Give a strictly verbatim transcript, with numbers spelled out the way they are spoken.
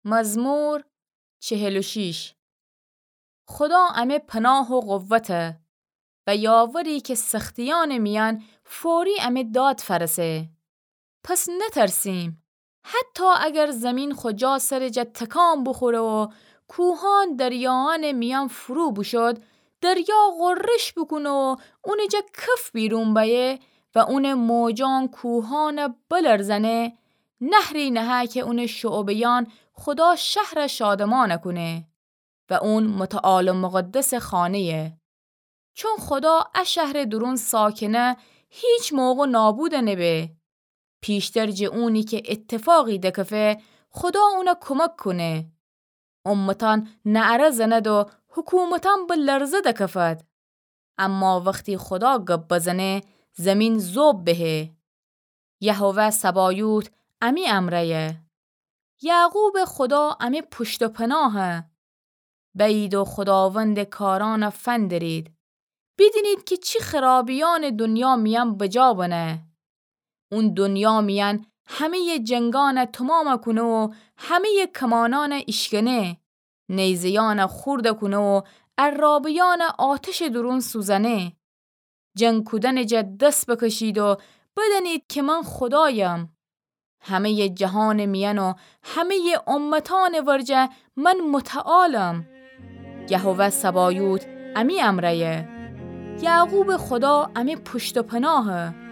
مزمور چهل و شش. خودا امه پناه و قوته و یاوری که سختیأنٚ میأن فوری امه داد فأرسه. پس نترسیم. حتی اگر زمین خو جا سرٚ جا تکان بوخوره و کوهأن دریایأنٚ میأن فرو بوشود، دریا غرش بوکونه و اونٚ جا کف بیرون بأیه و اونٚ موجأن کوهأن بلرزنه، نهری نهه که اونٚ شعبه‌یأن خودا شهر شادمان کونه و اون متعال و مقدسٚ خانه‌یه. چون خودا ا شهرٚ دورون ساکنه، هیچ موقع نابود نبه. پیشتر جٚه اونی که اتفاقی دکفه، خودا اون کمک کونه. امتأن نعره زند و حکومتأن به لرزه دکفد. اما وختی خودا گب بزنه، زمین ذوب بهه. یهوه سبایوت امی امرأیه. یعقوبٚ خودا امی پشت و پناهه. بأیید و خوداوندٚ کارأن فندرید. بیدینید که چی خرابیأنٚ دونیا میأن بجا بنه. اون دونیا میأن همه‌یٚ جنگأن تومام کونه و همه‌یٚ کمانأن ایشکنه، نیزه‌یأن خورد کونه و عرابه‌یأن آتشٚ دورون سوزنه. جنگ کودنٚ جا دس بکشید و بدأنید که من خودایم. همه‌یٚ جهانٚ میأن و همه‌یٚ امتأنٚ ورجه من متعالم. یهوه سبایوت امی امرأیه. یعقوبٚ خودا امی پشت و پناهه.